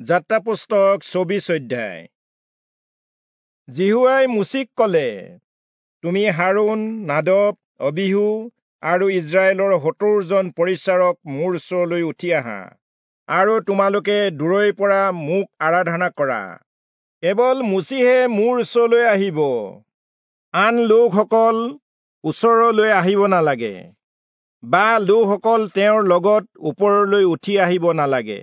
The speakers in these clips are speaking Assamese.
যাত্ৰা পুস্তক 24 অধ্যায়। যিহোৱাই মোচিক কলে, তুমি হাৰোণ, নাদব, অবিহু আৰু ইস্ৰায়েলৰ 70 জন পৰিচাৰক মোৰ ওচৰলৈ উঠি আহা, আৰু তোমালোকে দূৰৈৰ পৰা মোক আৰাধনা কৰা। কেৱল মোচিহে মোৰ ওচৰলৈ আহিব, আন লোকসকল ওচৰলৈ আহিব নালাগে, বা লোকসকল তেওঁৰ লগত ওপৰলৈ উঠি আহিব নালাগে।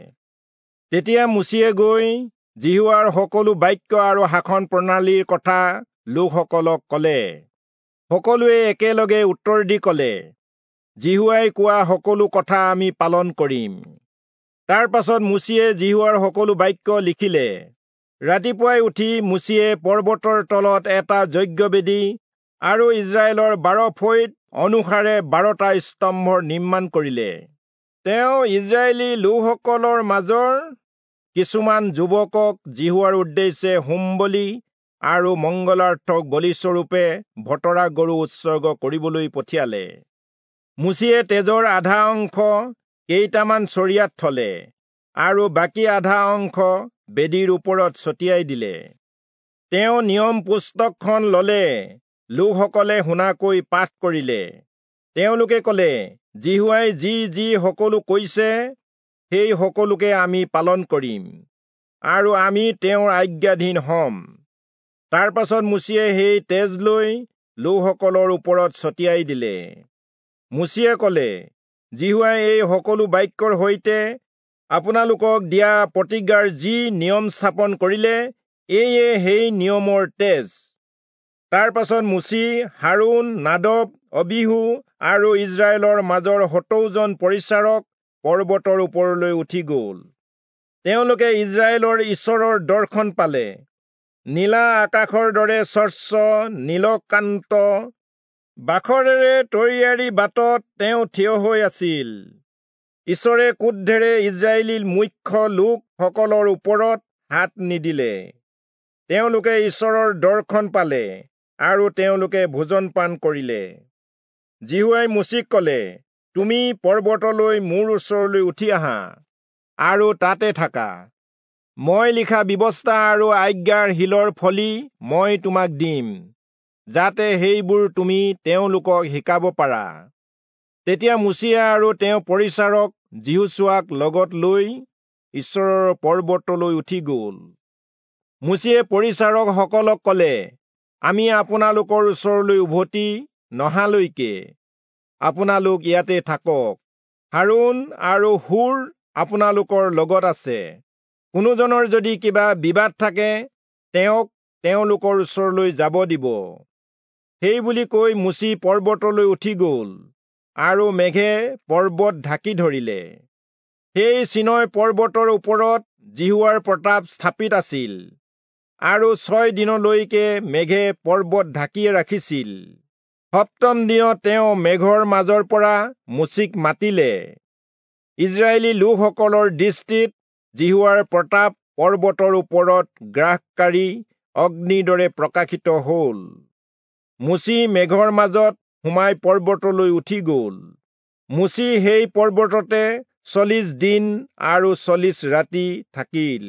তেতিয়া মোচিয়ে গৈ যিহোৱাৰ সকলো বাক্য আৰু শাসন প্ৰণালীৰ কথা লোকসকলক কলে। সকলোৱে একেলগে উত্তৰ দি কলে, যিহোৱাই কোৱা সকলো কথা আমি পালন কৰিম। তাৰ পাছত মোচিয়ে যিহোৱাৰ সকলো বাক্য লিখিলে। ৰাতিপুৱাই উঠি মোচিয়ে পৰ্বতৰ তলত এটা যজ্ঞবেদী আৰু ইস্ৰায়েলৰ 12 ফৈদ অনুসাৰে 12টা স্তম্ভৰ নিৰ্মাণ কৰিলে। তেওঁ ইস্ৰায়েলী লোকসকলৰ মাজৰ কিছুমান যুৱকক যিহোৱাৰ উদ্দেশ্যে হোম বলি আৰু মংগলাৰ্থক বলিস্বৰূপে ভতৰা গৰু উৎসৰ্গ কৰিবলৈ পঠিয়ালে। মোচিয়ে তেজৰ আধা অংশ কেইটামান চৰিয়াত থলে আৰু বাকী আধা অংশ বেদীৰ ওপৰত ছটিয়াই দিলে। তেওঁ নিয়ম পুস্তকখন ললে, লোকসকলে শুনাকৈ পাঠ কৰিলে। তেওঁলোকে কলে, যিহোৱাই যি যি সকলো কৈছে সেই সকলোকে আমি পালন কৰিম, আৰু আমি তেওঁৰ আজ্ঞাধীন হ'ম। তাৰ পাছত মোচিয়ে সেই তেজ লৈ লোকসকলৰ ওপৰত ছটিয়াই দিলে। মোচিয়ে কলে, যিহোৱাই এই সকলো বাক্যৰ সৈতে আপোনালোকক দিয়া প্ৰতিজ্ঞাৰ যি নিয়ম স্থাপন কৰিলে, এয়ে সেই নিয়মৰ তেজ। তাৰ পাছত মোচি, হাৰোণ, নাদব, অবিহু আৰু ইস্ৰায়েলৰ মাজৰ 70 জন পৰিচাৰক পৰ্বতৰ ওপৰলৈ উঠি গ'ল। তেওঁলোকে ইস্ৰায়েলৰ ঈশ্বৰৰ দৰ্শন পালে। নীলা আকাশৰ দৰে স্বচ্ছ নীলকান্ত বাখৰেৰে তৈয়াৰী বাটত তেওঁ থিয় হৈ আছিল। ঈশ্বৰে ক্ৰোধেৰে ইস্ৰায়েলী মুখ্য লোকসকলৰ ওপৰত হাত নিদিলে। তেওঁলোকে ঈশ্বৰৰ দৰ্শন পালে আৰু তেওঁলোকে ভোজন পান কৰিলে। যিহোৱাই মোচিক কলে, তুমি পৰ্বতলৈ মোৰ ওচৰলৈ উঠি আহা আৰু তাতে থাকা। মই লিখা ব্যৱস্থা আৰু আজ্ঞাৰ শিলৰ ফলি মই তোমাক দিম, যাতে সেইবোৰ তুমি তেওঁলোকক শিকাব পাৰা। তেতিয়া মোচিয়ে আৰু তেওঁ পৰিচাৰক যিহোচূৱাক লগত লৈ ঈশ্বৰৰ পৰ্বতলৈ উঠি গ'ল। মোচিয়ে পৰিচাৰকসকলক কলে, আমি আপোনালোকৰ ওচৰলৈ উভতি নহালৈকে আপোনালোক ইয়াতে থাকক। হাৰোণ আৰু হূৰ আপোনালোকৰ লগত আছে। কোনোজনৰ যদি কিবা বিবাদ থাকে, তেওঁক তেওঁলোকৰ ওচৰলৈ যাব দিব। সেই বুলি কৈ মোচি পৰ্বতলৈ উঠি গ'ল, আৰু মেঘে পৰ্বত ঢাকি ধৰিলে। সেই চীনয় পৰ্বতৰ ওপৰত যিহোৱাৰ প্ৰতাপ স্থাপিত আছিল, আৰু 6 দিনলৈকে মেঘে পৰ্বত ঢাকি ৰাখিছিল। সপ্তম দিনত তেওঁ মেঘৰ মাজৰ পৰা মোচিক মাতিলে। ইস্ৰায়েলী লোকসকলৰ দৃষ্টিত যিহোৱাৰ প্ৰতাপ পৰ্বতৰ ওপৰত গ্ৰাসকাৰী অগ্নিৰ দৰে প্ৰকাশিত হ'ল। মোচি মেঘৰ মাজত সোমাই পৰ্বতলৈ উঠি গ'ল। মোচি সেই পৰ্বততে 40 দিন আৰু 40 ৰাতি থাকিল।